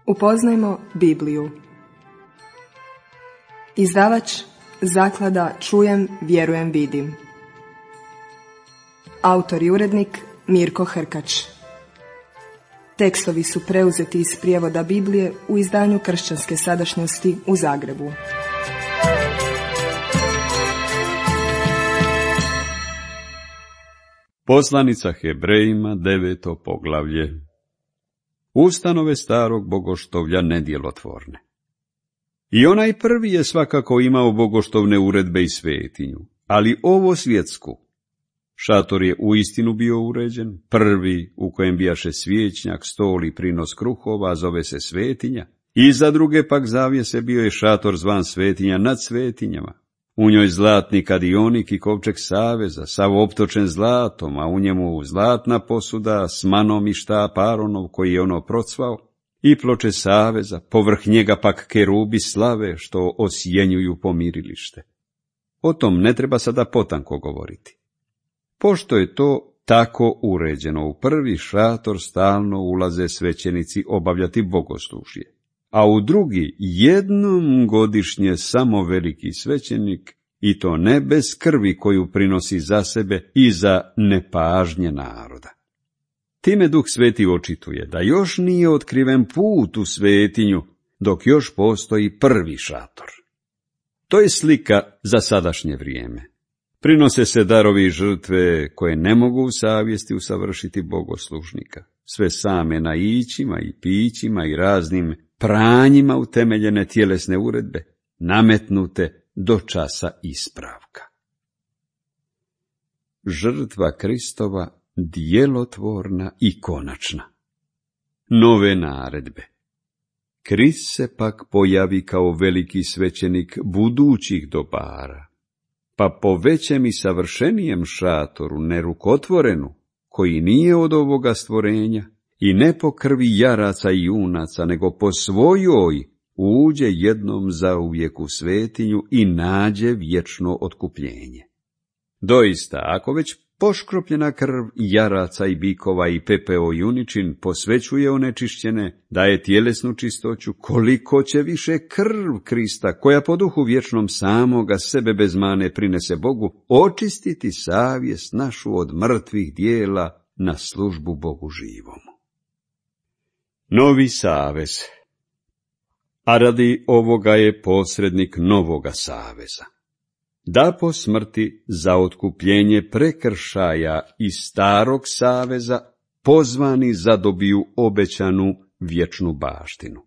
Upoznajmo Bibliju. Izdavač Zaklada Čujem, vjerujem, vidim. Autor i urednik Mirko Hrkač. Tekstovi su preuzeti iz prijevoda Biblije u izdanju Kršćanske sadašnjosti u Zagrebu. Poslanica Hebrejima, 9. poglavlje. Ustanove starog bogoštovlja nedjelotvorne. I onaj prvi je svakako imao bogoštovne uredbe i svetinju, ali ovo svjetsku. Šator je uistinu bio uređen, prvi u kojem bijaše svijećnjak, stol i prinos kruhova, zove se svetinja, i za druge pak zavjese bio je šator zvan svetinja nad svetinjama. U njoj zlatni kadionik i kovčeg saveza, sav optočen zlatom, a u njemu zlatna posuda s manom i štap Aronov koji je ono procvao, i ploče saveza, povrh njega pak kerubi slave što osjenjuju pomirilište. O tom ne treba sada potanko govoriti. Pošto je to tako uređeno, u prvi šator stalno ulaze svećenici obavljati bogoslužje, a u drugi jednom godišnje samo veliki svećenik, i to ne bez krvi koju prinosi za sebe i za nepažnje naroda. Time Duh Sveti očituje da još nije otkriven put u svetinju, dok još postoji prvi šator. To je slika za sadašnje vrijeme. Prinose se darovi i žrtve koje ne mogu u savjesti usavršiti bogoslužnika, sve same naićima i pićima i raznim pranjima utemeljene tjelesne uredbe, nametnute do časa ispravka. Žrtva Kristova djelotvorna i konačna. Nove naredbe. Krist se pak pojavi kao veliki svećenik budućih dobara, pa po većem i savršenijem šatoru, nerukotvorenu, koji nije od ovoga stvorenja, i ne po krvi jaraca i junaca, nego po svojoj, uđe jednom zauvijek u svetinju i nađe vječno otkupljenje. Doista, ako već poškropljena krv jaraca i bikova i pepeo juničin posvećuje onečišćene, daje tjelesnu čistoću, koliko će više krv Krista, koja po duhu vječnom samoga sebe bez mane prinese Bogu, očistiti savjest našu od mrtvih dijela na službu Bogu živomu. Novi savez. A radi ovoga je posrednik novoga saveza, da po smrti za otkupljenje prekršaja iz starog saveza pozvani zadobiju obećanu vječnu baštinu.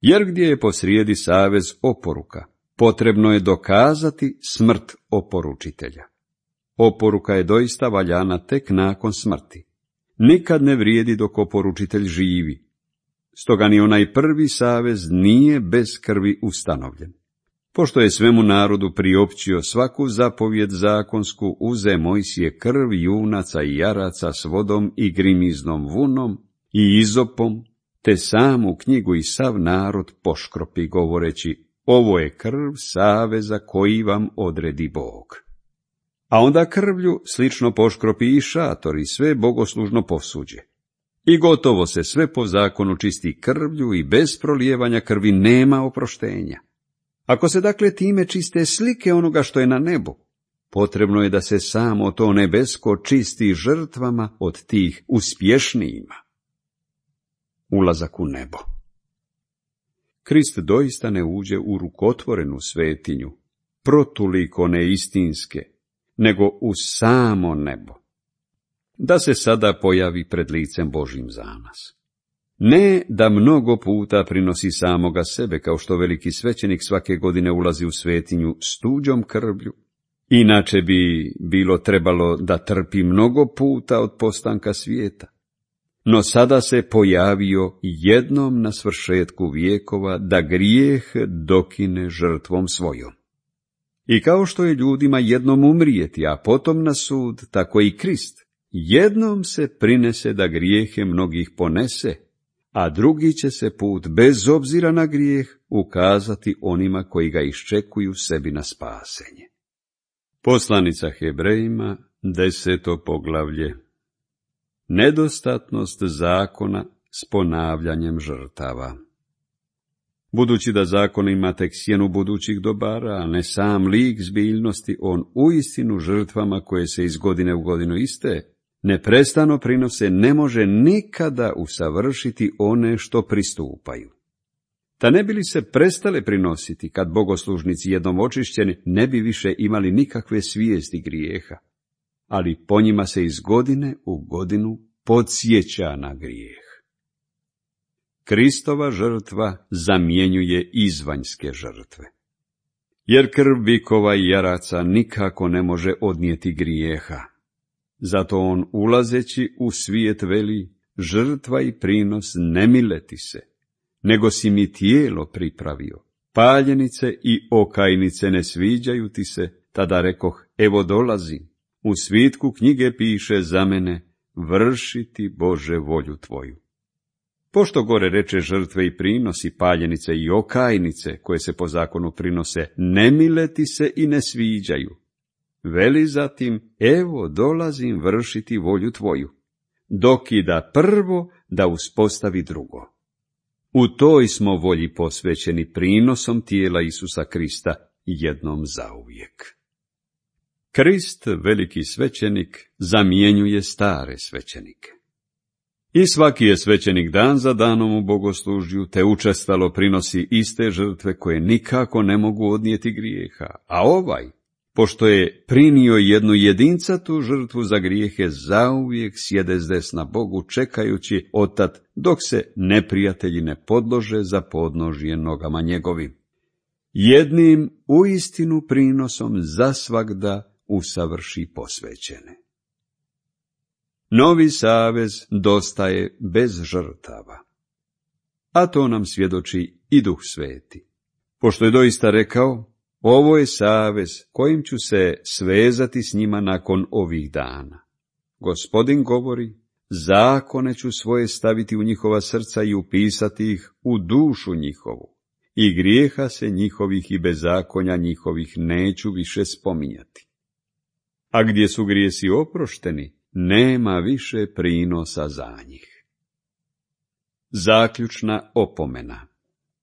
Jer gdje je posrijedi savez oporuka, potrebno je dokazati smrt oporučitelja. Oporuka je doista valjana tek nakon smrti. Nikad ne vrijedi dok oporučitelj živi. Stoga ni onaj prvi savez nije bez krvi ustanovljen. Pošto je svemu narodu priopćio svaku zapovjed zakonsku, uze Mojsije krv junaca i jaraca s vodom i grimiznom vunom i izopom, te samu knjigu i sav narod poškropi, govoreći: ovo je krv saveza koji vam odredi Bog. A onda krvlju slično poškropi i šator i sve bogoslužno posuđe. I gotovo se sve po zakonu čisti krvlju i bez prolijevanja krvi nema oproštenja. Ako se dakle time čiste slike onoga što je na nebu, potrebno je da se samo to nebesko čisti žrtvama od tih uspješnijima. Ulazak u nebo. Krist doista ne uđe u rukotvorenu svetinju, protuliko neistinske, nego u samo nebo, da se sada pojavi pred licem Božjim za nas. Ne da mnogo puta prinosi samoga sebe, kao što veliki svećenik svake godine ulazi u svetinju s tuđom krvlju, inače bi bilo trebalo da trpi mnogo puta od postanka svijeta. No sada se pojavio jednom na svršetku vijekova da grijeh dokine žrtvom svojom. I kao što je ljudima jednom umrijeti, a potom na sud, tako i Krist jednom se prinese da grijehe mnogih ponese, a drugi će se put, bez obzira na grijeh, ukazati onima koji ga iščekuju sebi na spasenje. Poslanica Hebrejima, 10. poglavlje. Nedostatnost zakona s ponavljanjem žrtava. Budući da zakon ima tek sjenu budućih dobara, a ne sam lik zbiljnosti, on uistinu žrtvama koje se iz godine u godinu iste, neprestano prinose, ne može nikada usavršiti one što pristupaju. Da ne bi li se prestale prinositi, kad bogoslužnici jednom očišćeni, ne bi više imali nikakve svijesti grijeha, ali po njima se iz godine u godinu podsjeća na grijeh. Kristova žrtva zamjenjuje izvanjske žrtve. Jer krv bikova i jaraca nikako ne može odnijeti grijeha. Zato on, ulazeći u svijet, veli: žrtva i prinos ne mileti se, nego si mi tijelo pripravio. Paljenice i okajnice ne sviđaju ti se, tada rekoh: evo dolazim. U svitku knjige piše za mene: vršiti, Bože, volju tvoju. Pošto gore reče žrtve i prinosi, paljenice i okajnice, koje se po zakonu prinose, ne mileti se i ne sviđaju, veli zatim: evo dolazim vršiti volju tvoju, dokida prvo da uspostavi drugo. U toj smo volji posvećeni prinosom tijela Isusa Krista jednom zauvijek. Krist, veliki svećenik, zamjenjuje stare svećenike. I svaki je svećenik dan za danom u bogoslužju, te učestalo prinosi iste žrtve koje nikako ne mogu odnijeti grijeha, a ovaj, pošto je prinio jednu jedincatu žrtvu za grijehe, zauvijek sjede zdesna Bogu, čekajući otad dok se neprijatelji ne podlože za podnožje nogama njegovim. Jednim uistinu prinosom zasvagda usavrši posvećene. Novi savez dostaje bez žrtava, a to nam svjedoči i Duh Sveti. Pošto je doista rekao: ovo je savez kojim ću se svezati s njima nakon ovih dana. Gospodin govori: zakone ću svoje staviti u njihova srca i upisati ih u dušu njihovu, i grijeha se njihovih i bezakonja njihovih neću više spominjati. A gdje su grijesi oprošteni, nema više prinosa za njih. Zaključna opomena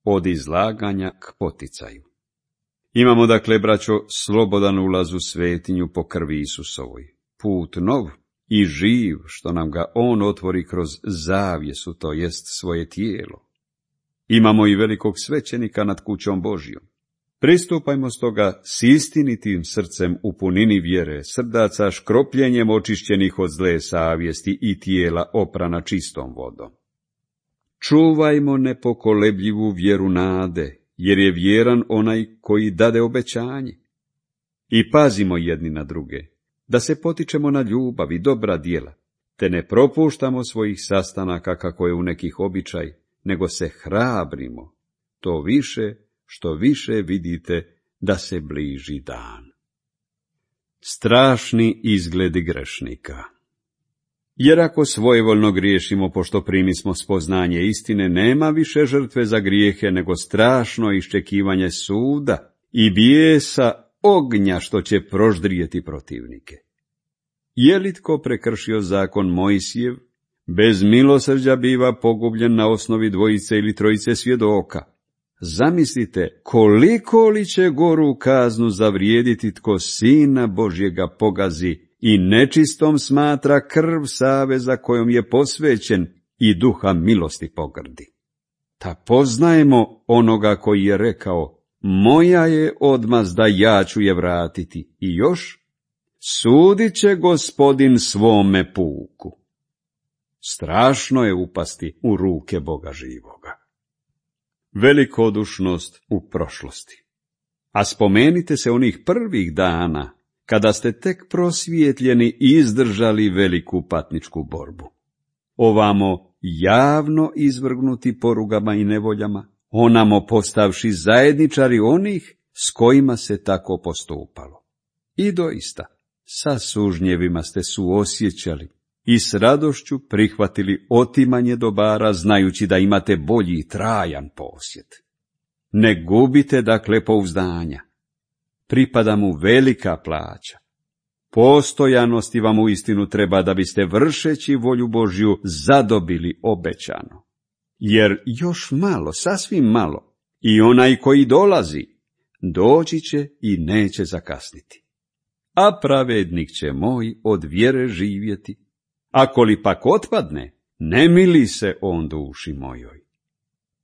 od izlaganja k poticaju. Imamo dakle, braćo, slobodan ulaz u svetinju po krvi Isusovoj, put nov i živ, što nam ga on otvori kroz zavjesu, to jest svoje tijelo. Imamo i velikog svećenika nad kućom Božjom. Pristupajmo stoga s istinitim srcem u punini vjere, srdaca škropljenjem očišćenih od zle savjesti i tijela oprana čistom vodom. Čuvajmo nepokolebljivu vjeru nade, jer je vjeran onaj koji dade obećanje. I pazimo jedni na druge, da se potičemo na ljubav i dobra djela, te ne propuštamo svojih sastanaka kako je u nekih običaj, nego se hrabrimo, to više što više vidite da se bliži dan. Strašni izgledi grešnika. Jer ako svojevoljno griješimo, pošto primismo spoznanje istine, nema više žrtve za grijehe, nego strašno iščekivanje suda i bijesa ognja što će proždrijeti protivnike. Je li tko prekršio zakon Mojsijev, bez milosrđa biva pogubljen na osnovi dvojice ili trojice svjedoka. Zamislite koliko li će goru kaznu zavrijediti tko Sina Božjega pogazi i nečistom smatra krv saveza kojom je posvećen i duha milosti pogrdi. Ta poznajemo onoga koji je rekao: moja je odmazda, ja ću je vratiti. I još: sudit će Gospodin svome puku. Strašno je upasti u ruke Boga živoga. Velikodušnost u prošlosti. A spomenite se onih prvih dana, kada ste tek prosvjetljeni i izdržali veliku patničku borbu. Ovamo javno izvrgnuti porugama i nevoljama, onamo postavši zajedničari onih s kojima se tako postupalo. I doista, sa sužnjevima ste suosjećali i s radošću prihvatili otimanje dobara, znajući da imate bolji i trajan posjet. Ne gubite dakle pouzdanja. Pripada mu velika plaća. Postojanosti vam uistinu treba da biste vršeći volju Božju zadobili obećano. Jer još malo, sasvim malo, i onaj koji dolazi, doći će i neće zakasniti. A pravednik će moj od vjere živjeti, ako li pak otpadne, ne mili se on duši mojoj.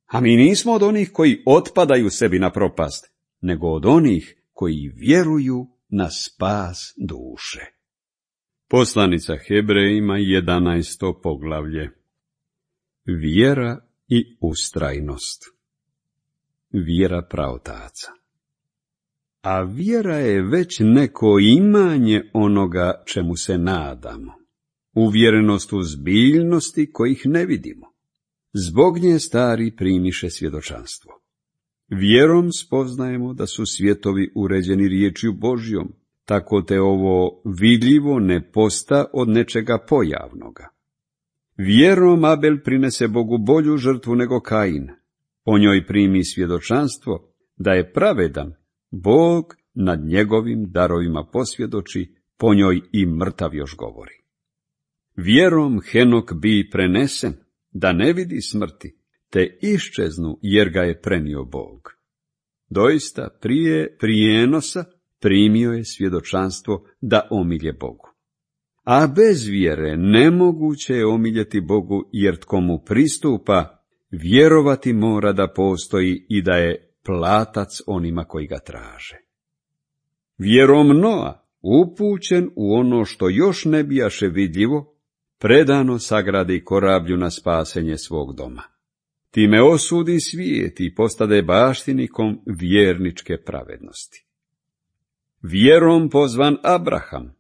A mi nismo od onih koji otpadaju sebi na propast, nego od onih koji vjeruju na spas duše. Poslanica Hebrejima 11. poglavlje. Vjera i ustrajnost. Vjera praotaca. A vjera je već neko imanje onoga čemu se nadamo, uvjerenost u zbiljnosti kojih ne vidimo. Zbog nje stari primiše svjedočanstvo. Vjerom spoznajemo da su svjetovi uređeni riječju Božjom, tako te ovo vidljivo ne posta od nečega pojavnoga. Vjerom Abel prinese Bogu bolju žrtvu nego Kain. Po njoj primi svjedočanstvo da je pravedan, Bog nad njegovim darovima posvjedoči, po njoj i mrtav još govori. Vjerom Henok bi prenesen, da ne vidi smrti, te iščeznu jer ga je prenio Bog. Doista prije prijenosa primio je svjedočanstvo da omilje Bogu. A bez vjere nemoguće je omiljeti Bogu, jer tko mu pristupa, vjerovati mora da postoji i da je platac onima koji ga traže. Vjerom Noa, upućen u ono što još ne bijaše vidljivo, predano sagradi korablju na spasenje svog doma. Time osudi svijet i postade baštinikom vjerničke pravednosti. Vjerom pozvan Abraham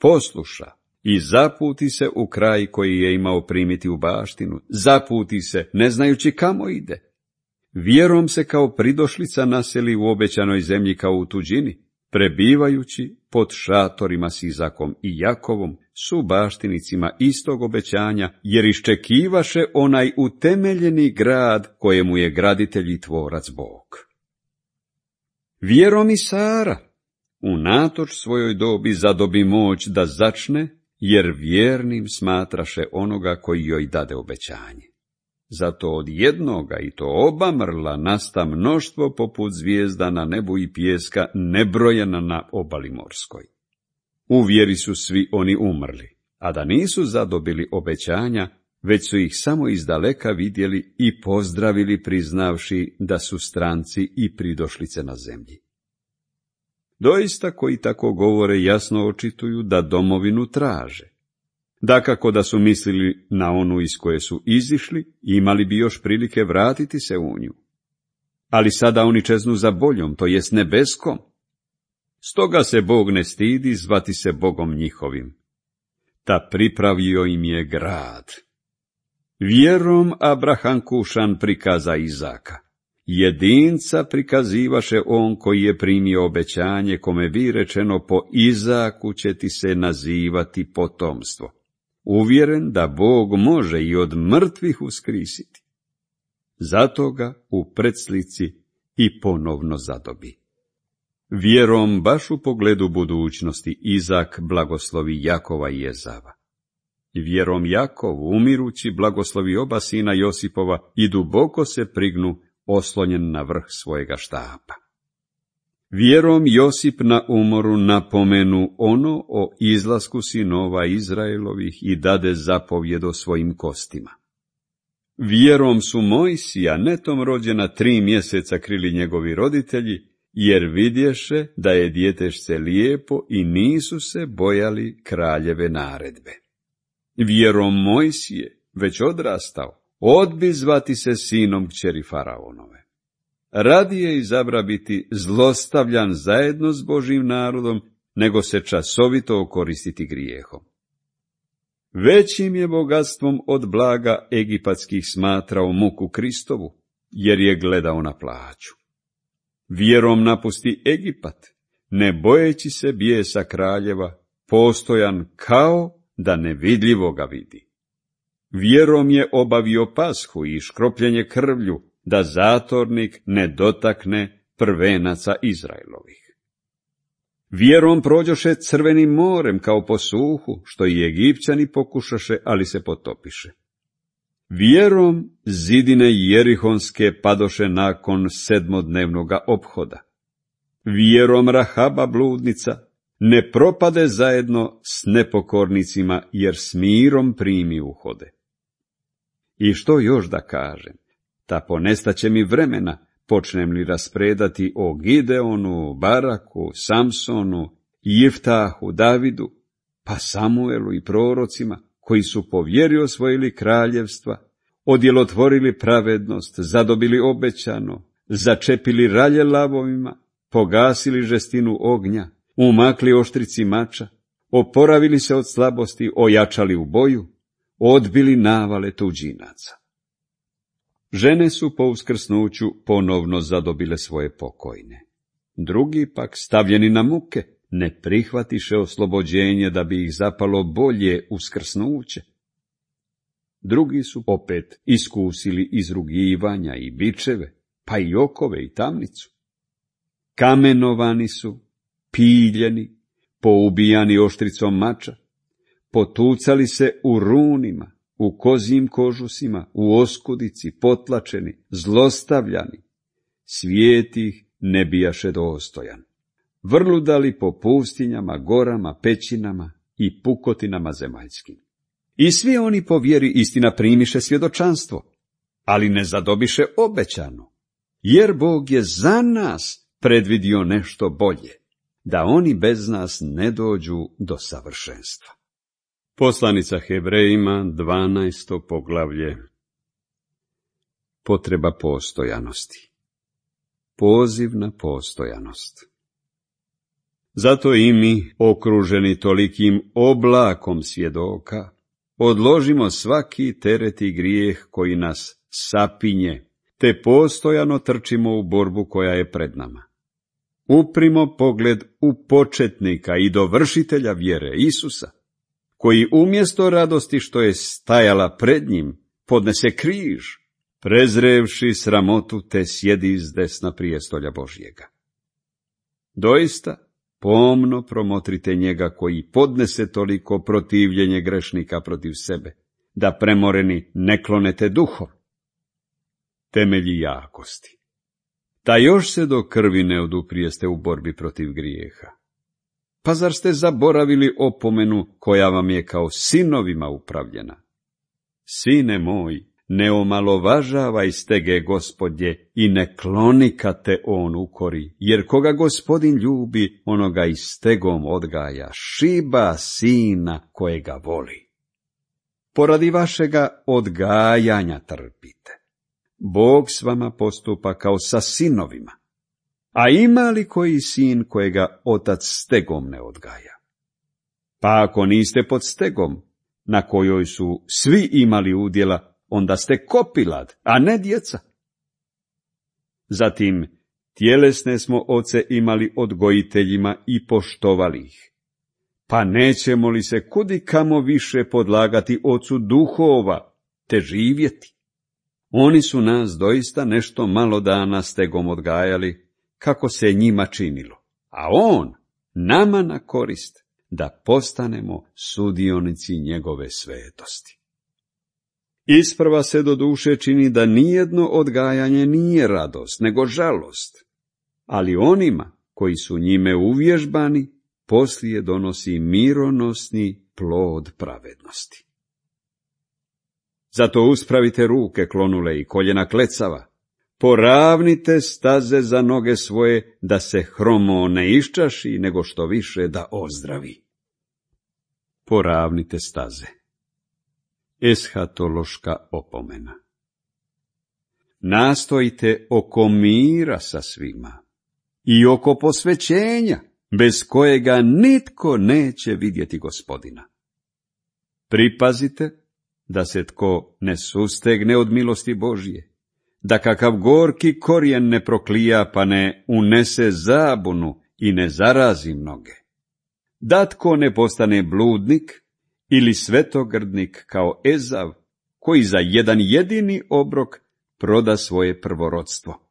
posluša i zaputi se u kraj koji je imao primiti u baštinu, zaputi se ne znajući kamo ide. Vjerom se kao pridošlica naseli u obećanoj zemlji kao u tuđini, prebivajući pod šatorima s Izakom i Jakovom, su baštinicima istog obećanja, jer iščekivaše onaj utemeljeni grad kojemu je graditelj i tvorac Bog. Vjerom i Sara, unatoč svojoj dobi, zadobi moć da začne, jer vjernim smatraše onoga koji joj dade obećanje. Zato od jednoga, i to oba mrla, nasta mnoštvo poput zvijezda na nebu i pijeska nebrojena na obali morskoj. U vjeri su svi oni umrli, a da nisu zadobili obećanja, već su ih samo izdaleka vidjeli i pozdravili, priznavši da su stranci i pridošlice na zemlji. Doista koji tako govore jasno očituju da domovinu traže. Dakako da su mislili na onu iz koje su izišli, imali bi još prilike vratiti se u nju. Ali sada oni čeznu za boljom, to jest nebeskom. Stoga se Bog ne stidi zvati se Bogom njihovim. Ta pripravio im je grad. Vjerom Abraham kušan prikaza Izaka. Jedinca prikazivaše on koji je primio obećanje, kome bi rečeno po Izaku će ti se nazivati potomstvo. Uvjeren da Bog može i od mrtvih uskrisiti. Zato ga u predslici i ponovno zadobi. Vjerom baš u pogledu budućnosti Izak blagoslovi Jakova i Ezava. Vjerom Jakov, umirući, blagoslovi oba sina Josipova i duboko se prignu, oslonjen na vrh svojega štapa. Vjerom Josip na umoru napomenu ono o izlasku sinova Izraelovih i dade zapovjed o svojim kostima. Vjerom su Mojsija, netom rođena 3 mjeseca, krili njegovi roditelji, jer vidješe da je djetešce lijepo i nisu se bojali kraljeve naredbe. Vjerom Mojsije, već odrastao, odbi zvati se sinom kćeri Faraonove. Radije izabra biti zlostavljan zajedno s Božjim narodom, nego se časovito okoristiti grijehom. Većim je bogatstvom od blaga egipatskih smatrao muku Kristovu, jer je gledao na plaću. Vjerom napusti Egipat, ne bojeći se bijesa kraljeva, postojan kao da nevidljivo ga vidi. Vjerom je obavio pashu i škropljenje krvlju, da zatornik ne dotakne prvenaca Izraelovih. Vjerom prođoše crvenim morem kao po suhu, što i Egipćani pokušaše, ali se potopiše. Vjerom zidine jerihonske padoše nakon 7-dnevnoga ophoda. Vjerom Rahaba bludnica ne propade zajedno s nepokornicima, jer s mirom primi uhode. I što još da kažem, ta ponestaće mi vremena, počnem li raspredati o Gideonu, Baraku, Samsonu, Jiftahu, Davidu, pa Samuelu i prorocima, koji su po vjeri osvojili kraljevstva, odjelotvorili pravednost, zadobili obećano, začepili ralje lavovima, pogasili žestinu ognja, umakli oštrici mača, oporavili se od slabosti, ojačali u boju, odbili navale tuđinaca. Žene su po uskrsnuću ponovno zadobile svoje pokojne. Drugi pak, stavljeni na muke, ne prihvatiše oslobođenje da bi ih zapalo bolje uskrsnuće. Drugi su opet iskusili izrugivanja i bičeve, pa i okove i tamnicu. Kamenovani su, piljeni, poubijani oštricom mača, potucali se u runima, u kozjim kožusima, u oskudici, potlačeni, zlostavljani. Svijet ih ne bijaše dostojan. Vrludali po pustinjama, gorama, pećinama i pukotinama zemaljskim. I svi oni po vjeri istina primiše svjedočanstvo, ali ne zadobiše obećano, jer Bog je za nas predvidio nešto bolje, da oni bez nas ne dođu do savršenstva. Poslanica Hebrejima, 12. poglavlje. Potreba postojanosti. Poziv na postojanost. Zato i mi, okruženi tolikim oblakom svjedoka, odložimo svaki teret i grijeh koji nas sapinje, te postojano trčimo u borbu koja je pred nama. Uprimo pogled u početnika i dovršitelja vjere Isusa, koji umjesto radosti što je stajala pred njim, podnese križ, prezrevši sramotu, te sjedi s desna prijestolja Božjega. Doista, pomno promotrite njega koji podnese toliko protivljenje grešnika protiv sebe, da premoreni ne klonete duhom. Temelji jakosti. Da još se do krvi ne oduprijeste u borbi protiv grijeha. Pa zar ste zaboravili opomenu koja vam je kao sinovima upravljena? Sine moj, ne omalovažavaj stege Gospodje i ne kloni kad te on ukori, jer koga Gospodin ljubi, onoga i stegom odgaja, šiba sina kojega voli. Poradi vašega odgajanja trpite. Bog s vama postupa kao sa sinovima. A ima li koji sin kojega otac stegom ne odgaja? Pa ako niste pod stegom, na kojoj su svi imali udjela, onda ste kopilad, a ne djeca. Zatim, tjelesne smo oce imali odgojiteljima i poštovali ih. Pa nećemo li se kudikamo više podlagati ocu duhova, te živjeti? Oni su nas doista nešto malo dana stegom odgajali, kako se njima činilo, a on nama na korist, da postanemo sudionici njegove svetosti. Isprva se do duše čini da nijedno odgajanje nije radost, nego žalost, ali onima koji su njime uvježbani, poslije donosi mironosni plod pravednosti. Zato uspravite ruke klonule i koljena klecava, poravnite staze za noge svoje, da se hromo ne iščaši, nego što više da ozdravi. Poravnite staze. Eshatološka opomena. Nastojite oko mira sa svima i oko posvećenja, bez kojega nitko neće vidjeti Gospodina. Pripazite da se tko ne sustegne od milosti Božje, da kakav gorki korijen ne proklija, pa ne unese zabunu i ne zarazi mnoge. Da tko ne postane bludnik ili svetogrdnik kao Ezav, koji za jedan jedini obrok proda svoje prvorodstvo.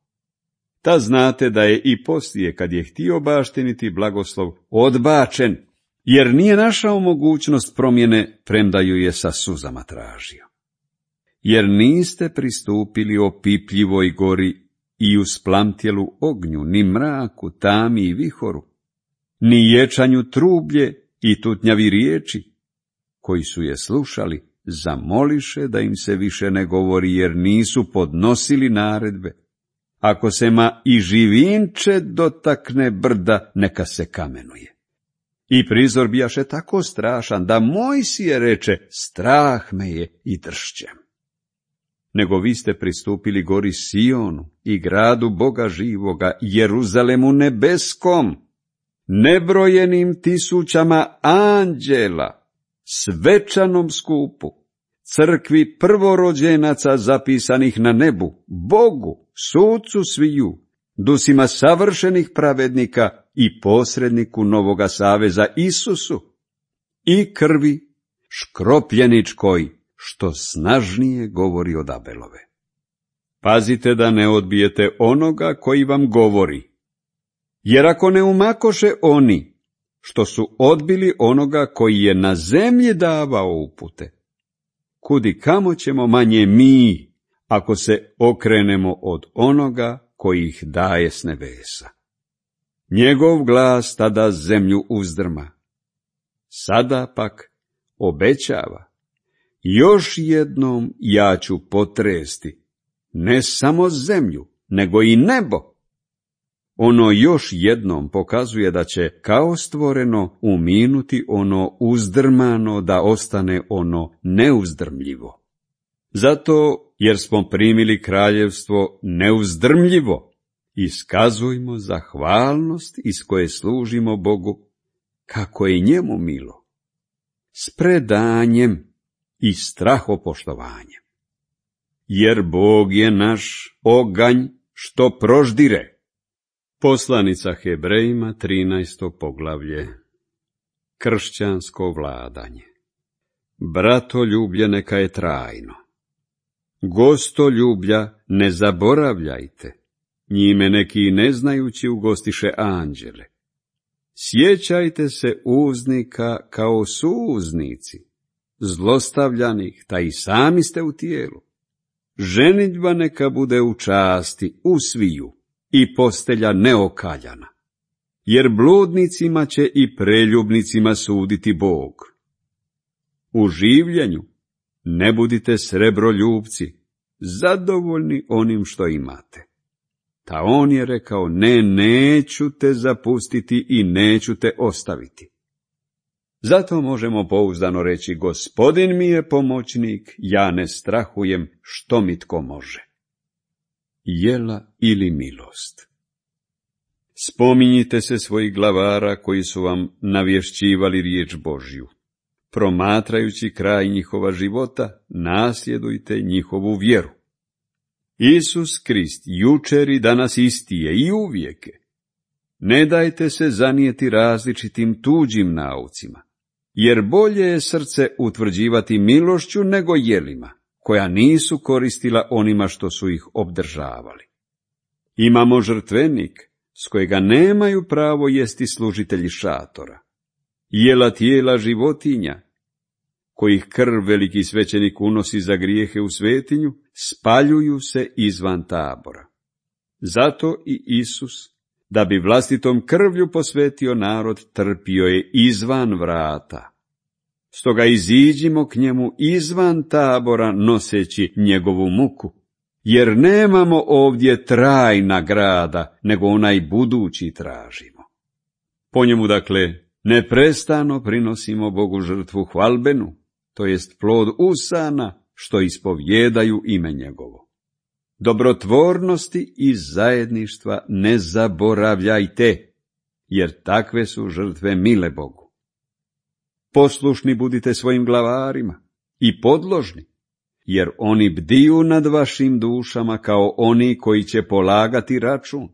Ta znate da je i poslije, kad je htio baštiniti blagoslov, odbačen, jer nije našao mogućnost promjene, premda ju je sa suzama tražio. Jer niste pristupili opipljivoj gori i usplamtjelu ognju, ni mraku, tami i vihoru, ni ječanju trublje i tutnjavi riječi, koji su je slušali, zamoliše da im se više ne govori, jer nisu podnosili naredbe. Ako se ma i živinče dotakne brda, neka se kamenuje. I prizor bijaše tako strašan, da Mojsije reče, strah me je i dršćem. Nego vi ste pristupili gori Sionu i gradu Boga živoga, Jeruzalemu nebeskom, nebrojenim tisućama anđela, svečanom skupu, crkvi prvorođenaca zapisanih na nebu, Bogu, sucu sviju, dusima savršenih pravednika i posredniku novoga saveza Isusu, i krvi škropljeničkoj, što snažnije govori od Abelove. Pazite da ne odbijete onoga koji vam govori, jer ako ne umakoše oni, što su odbili onoga koji je na zemlji davao upute, kudi kamo ćemo manje mi, ako se okrenemo od onoga koji ih daje s nebesa. Njegov glas tada zemlju uzdrma. Sada pak obećava, još jednom ja ću potresti, ne samo zemlju, nego i nebo. Ono još jednom pokazuje da će kao stvoreno uminuti ono uzdrmano, da ostane ono neuzdrmljivo. Zato, jer smo primili kraljevstvo neuzdrmljivo, iskazujmo zahvalnost iz koje služimo Bogu, kako je njemu milo, s predanjem i strahopoštovanjem. Jer Bog je naš oganj što proždire. Poslanica Hebrejima, 13. poglavlje. Kršćansko vladanje. Bratoljublje neka je trajno. Gostoljublja ne zaboravljajte, njime neki neznajući ugostiše anđele. Sjećajte se uznika kao suuznici, zlostavljanih, ta i sami ste u tijelu. Ženidba neka bude u časti, u sviju, i postelja neokaljana, jer bludnicima će i preljubnicima suditi Bog. U življenju ne budite srebroljubci, zadovoljni onim što imate. Ta on je rekao, ne, neću te zapustiti i neću te ostaviti. Zato možemo pouzdano reći, Gospodin mi je pomoćnik, ja ne strahujem što mi tko može. Jela ili milost. Spominjite se svojih glavara koji su vam navješćivali riječ Božju. Promatrajući kraj njihova života, nasljedujte njihovu vjeru. Isus Krist jučer i danas isti je i uvijek. Ne dajte se zanijeti različitim tuđim naucima, jer bolje je srce utvrđivati milošću nego jelima, koja nisu koristila onima što su ih obdržavali. Imamo žrtvenik, s kojega nemaju pravo jesti služitelji šatora, jela tijela životinja, kojih krv veliki svećenik unosi za grijehe u svetinju, spaljuju se izvan tabora. Zato i Isus, da bi vlastitom krvlju posvetio narod, trpio je izvan vrata. Stoga iziđimo k njemu izvan tabora noseći njegovu muku, jer nemamo ovdje trajna grada, nego onaj budući tražimo. Po njemu, dakle, neprestano prinosimo Bogu žrtvu hvalbenu, to jest plod usana, što ispovjedaju ime njegovo. Dobrotvornosti i zajedništva ne zaboravljajte, jer takve su žrtve mile Bogu. Poslušni budite svojim glavarima i podložni, jer oni bdiju nad vašim dušama kao oni koji će polagati račun.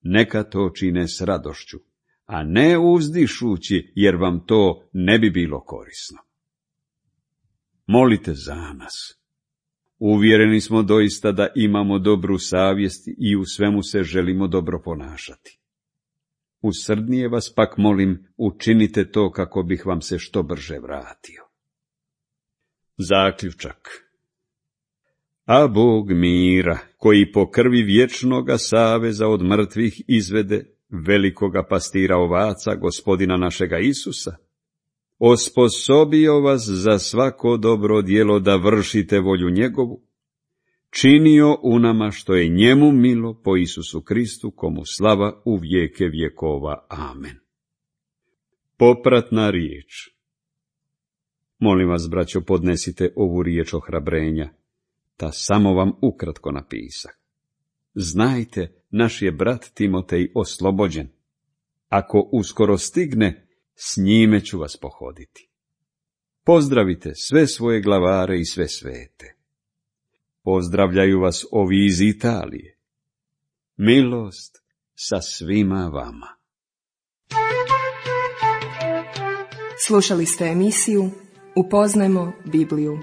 Neka to čine s radošću, a ne uzdišući, jer vam to ne bi bilo korisno. Molite za nas. Uvjereni smo doista da imamo dobru savjest i u svemu se želimo dobro ponašati. Usrdnije vas pak molim, učinite to kako bih vam se što brže vratio. Zaključak. A Bog mira, koji po krvi vječnoga saveza od mrtvih izvede velikoga pastira ovaca, Gospodina našega Isusa, osposobio vas za svako dobro djelo da vršite volju njegovu, činio u nama što je njemu milo po Isusu Kristu, komu slava u vijeke vjekova. Amen. Popratna riječ. Molim vas, braćo, podnesite ovu riječ ohrabrenja, ta samo vam ukratko napisah. Znajte, naš je brat Timotej oslobođen. Ako uskoro stigne, s njime ću vas pohoditi. Pozdravite sve svoje glavare i sve svete. Pozdravljaju vas ovi iz Italije. Milost sa svima vama. Slušali ste emisiju Upoznajmo Bibliju.